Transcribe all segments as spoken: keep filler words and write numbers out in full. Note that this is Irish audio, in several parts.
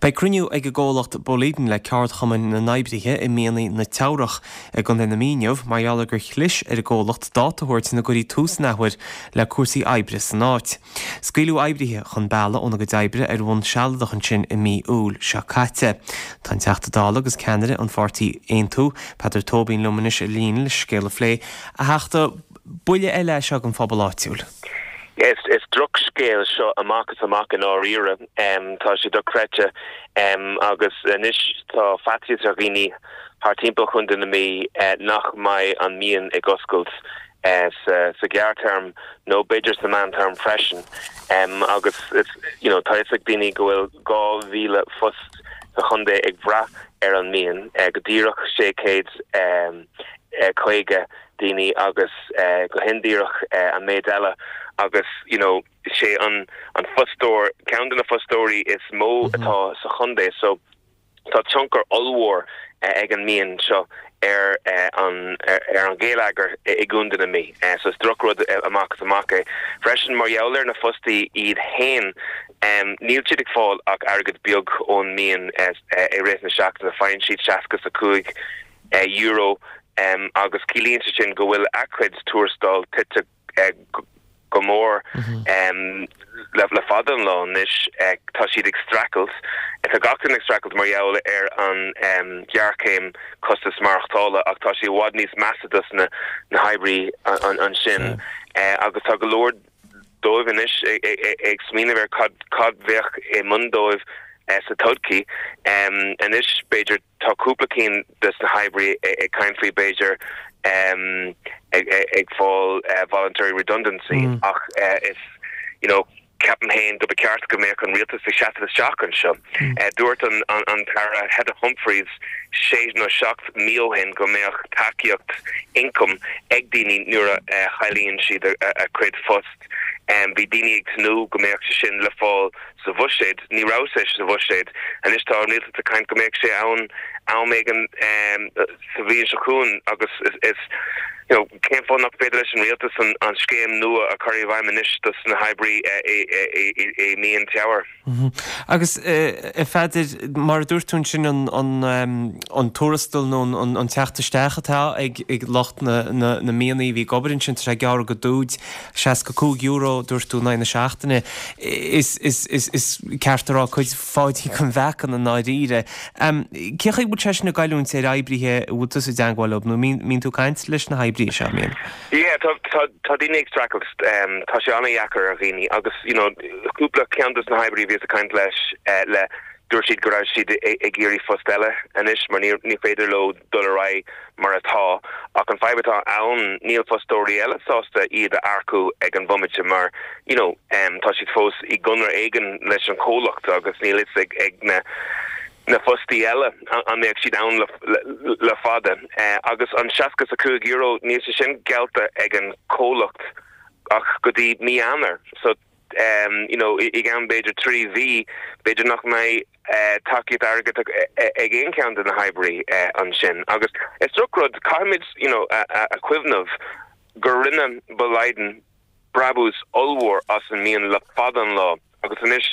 Beidh cruinniú ag an gcomhlacht Boliden le ceardchumainn na n-oibrithe i mianaigh na Teamhrach i gContae na Mí inniu mar gheall ar gur chlis ar an gcomhlacht dáta a thabhairt ina gcuirfí tús an athuair le cúrsaí oibre san áit. Scaoileadh oibrithe chun bealaigh óna gcuid oibre ar bhonn sealadach ansin i mí Iúil seo caite. Tá an Teachta Dála agus ceannaire an pháirtí Aontú, Peadar Tóibín liom anois ar líne le scéal a phlé a Theachta buille eile seo don phobal áitiúil. Is, is drochscéal seo amach is amach i ndáiríre um, tá sé dochreidte um, agus anois tá faitíos ar dhaoine thar timpeall Chontae na Mí uh, nach mbeidh an mian ag oscailt uh, sa, sa ghearrthéarma nó b'fhéidir sa mheántéarma freisin um, agus it's, you know, tá ag daoine go bhfuil dhá mhíle post sa chontae ag brath ar an mian uh, go díreach sé céad um, uh, caoga daoine agus uh, go hindíreach uh, an méid eile agus you know sé an an fostóir ceann de na fostóirí is mó mm -hmm. atá sa chontae so tá tionchar ollmhór uh, ag an mian seo ar uh, an ar, ar an gheilleagar i gContae na Mí uh, so is drochrud amach is amach é freisin mar gheall ar na fostaithe iad féin um, níl siad ag fáil ach airgead beag ón mian uh, uh, i rith na seachtaine faigheann siad seasca a cúig uh, euro um, agus ciallaíonn sé sin go bhfuil a gcuid tuarastal tite uh, go mór mm -hmm. um, le le fada an lá anois uh, tá siad ag streachailt tá gach duine ag streachailt mar gheall ar an um, ghéarchéim costas maireachtála ach tá sé i bhfad níos measa dos na na hoibrithe an, ansin yeah. uh, agus tá go leor dóibh anois ag, ag, ag smaoineamh ar cad cad bheadh i ndán dóibh uh, sa todhchaí um, anois b'fhéidir tá cúpla cinn des na hoibrithe ag caint faoi b'fhéidir um, ag, ag, ag fáil uh, voluntary redundancy mm. ach uh, is you know ceapaim féin go ceart go mbeadh an rialtas ag seasamh isteach anseo. Mm. Uh, dúirt an, an, an tAire Heather Humphreys sé nó seacht mí ó shin go mbeadh tacaíocht ioncaim ag daoine nuair a uh, chailleann siad a, a, a gcuid post. Um, bhí daoine ag tnúth go mbeadh sé sin le fáil sa bhuiséad ní raibh sé sa bhuiséad anois tá an rialtas ag caint go mbeadh sé ann am éigin um, sa bhliain seo chugainn agus is, is you know, cén fáth nach féidir leis an rialtas an, an scéim nua a chur i bhfeidhm anois dos na hoibrithe i mian Teamhair. Mm -hmm. Agus a Pheadair mar a dúirt tú sin an, an, um, an tuarastal nó an, an teacht isteach atá ag, ag lucht na, na, na mianaigh bhí ag obair ansin sé gearr go dúid seasca cúig euro dúirt tú na na seachtaine is, is, is, is ceart rá cuid Pháidín an mheacain i ndáiríre. Um, Cé chaoi bhfuil sé sin ag goilliúint ar oibrithe bhfuil tú i dteagmháil leo nó mbíonn tú ag caint leis na hoibrithe seo mín? Yeah, tá tá tá daoine ag streachailt um, tá sé an-deacair ar dhaoine agus you know, cúpla ceann des na hoibrithe bhí ag caint leis uh, le dúirt siad go raibh siad ag iarraidh post eile anois mar ní ní féidir leo dul ar aghaidh mar atá ach an fadhb atá ann níl fostóirí eile sásta iad a earcú ag an bhomaite mar you know, um, tá siad fós i gconradh éigin leis an comhlacht agus níl fhios ag ag na na fostaithe eile an mbeadh siad ann le, le, le fada uh, agus an seasca a cúig euro níl sé sin geallta ag an comhlacht ach go dtí mí Eanáir so um, you know, i gceann b'fhéidir trí mhí b'fhéidir nach mbeidh uh, tacaíocht airgid ag aon cheann de na hoibrithe uh, ansin agus is drochrud caithfimid you know, a, a, a chuimhneamh gur rinne Boliden brabús ollmhór as an mian le fada an lá agus anois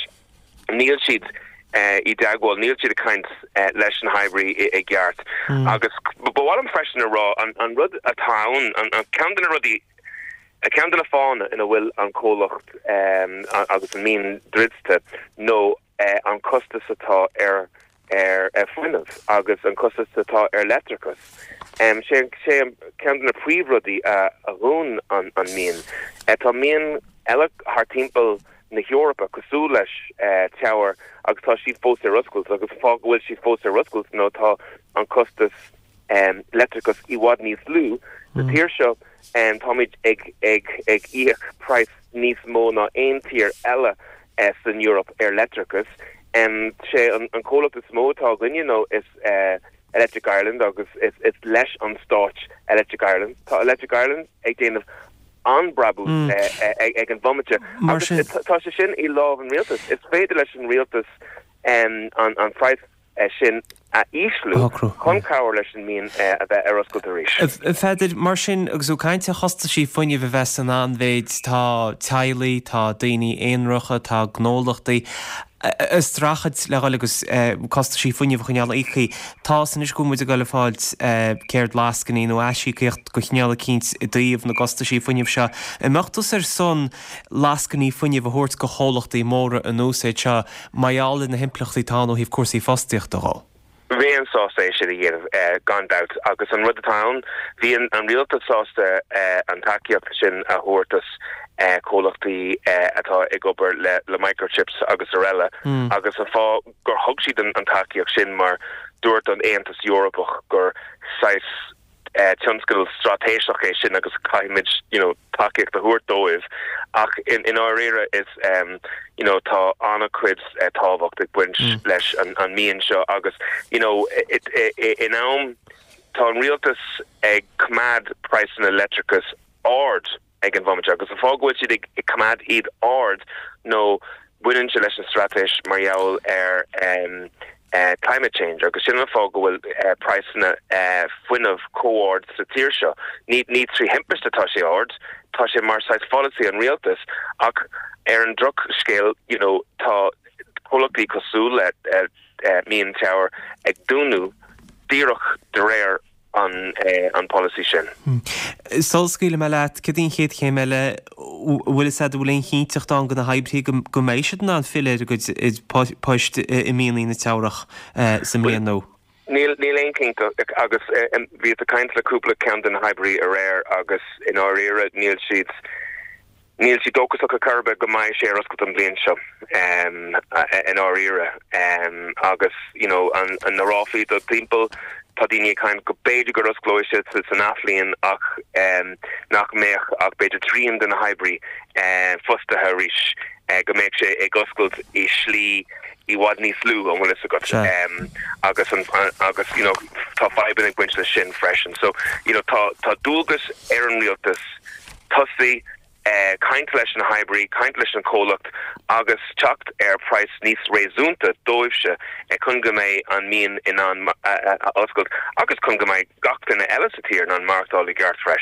níl siad uh, i dteagmháil níl siad ag caint uh, leis na hoibrithe i gceart mm. agus bhhalam freisin a rá an, an rud atá an, an ceann de na rudaí a ceann de na fáthanna ina bhfuil an comhlacht um, agus an mian druidte nó uh, an costas atá ar ar ar fuinneamh agus an costas atá ar leictreachas. Um, sé sé ceann de na príomhrudaí a, a dhún an, an mian. Uh, tá mian eile thar timpeall na hEorpa cosúil leis uh, Teamhair agus tá siad fós ar oscailt agus fáth go bhfuil siad fós ar oscailt nó tá an costas um, leictreachas i bhfad níos lú mm. Sa tír seo um, táimid ag ag ag íoc praghas níos mó ná aon tír eile uh, san Europe ar leictreachas. Um, sé an, an comhlacht is mó atá againne nó is uh, Electric Ireland agus is, is leis an stát Electric Ireland. Tá Electric Ireland ag déanamh an-bhrabús mm. uh, ag, ag an bhomaite agus tá sé sin i lámh an rialtas. Is féidir leis an rialtas um, an, an praghas uh, sin a ísliú chun cabhrú leis an mian uh, a bheith ar oscailt arís. Pheadair mar sin agus ó caint ar chostaisí fuinnimh a bheith san an-mhéid tá teaghlaigh, tá daoine aonaracha, tá gnólachtaí. a streachailt le dhul agus costaisí fuinnimh a choinneáil íoctha. Tá anois go bhfuil muid ag dul a fáil céard lascainí nó aisíocaíocht de chineál eicínt i dtaobh na gcostaisí fuinnimh seo. An mbeadh tusa ar son lascainí fuinnimh a thabhairt go chomhlachtaí móra an úsáid seo mar gheall ar na himpleachtaí atá ann ó thaobh cúrsaí fostaíochta dhó? Bheinn sásta é sin a dhéanamh gan dabht agus an rud atá ann, bhí an rialtas sásta an tacaíocht sin a thabhairt dos comhlachtaí atá ag obair le le microchips agus araile agus an fáth gur thug siad an tacaíocht sin mar dúirt an Aontas Eorpach gur saghas tionscadal straitéiseach é sin agus caithfimid you know tacaíocht a thabhairt dóibh ach i ndáiríre is you know tá an-chuid tábhacht ag baint leis an an mian seo agus you know in am tá an rialtas ag coimeád praghsanna leictreachais ard ag an bhomaite agus an fáth go bhfuil siad ag coimeád iad ard nó baineann sé leis an straitéis mar gheall ar climate change agus sin an fáth go bhfuil praghsanna fuinnimh chomh hard sa tír seo. Ní ní trí thimpiste atá sé ard, tá sé mar saghas pholasaí an rialtais ach ar an drochscéal you know tá comhlachtaí cosúil le Mian Teamhair ag dúnadh díreach de réir an an polasaí sin. Sula scaoilfidh mé leat, cad í an chéad chéim eile, bhfuil fhios agat an bhfuil aon chinnteacht ann do na hoibrithe go mbeidh siad in ann filleadh ar a gcuid poist i mianaigh na Teamhrach sa mbliain nua? Níl níl aon chinnteacht agus bhíos ag caint le cúpla ceann de na hoibrithe aréir agus i ndáiríre níl siad Níl siad dóchasach ar chor ar bith go mbeidh sé ar oscailt an bhliain seo i ndáiríre agus you know an na ráflaí do timpeall tá daoine ag caint go b'fhéidir gur osclóidh sé san athbhliain ach nach mbeadh ach b'fhéidir trian de na hoibrithe fostaithe arís go mbeadh sé ag oscailt i slí i bhfad níos lú an bhfuil fhios agat agus an agus you know tá fadhbanna ag baint leis sin freisin so you know tá tá dualgas ar an rialtas tosaí caint leis na hoibrithe, caint leis an chomhlacht agus teacht ar praghas níos réasúnta dóibhse chun go mbeidh an mian in ann a oscailt agus chun go mbeidh gach duine eile sa tír in ann maireachtáil i gceart freisin.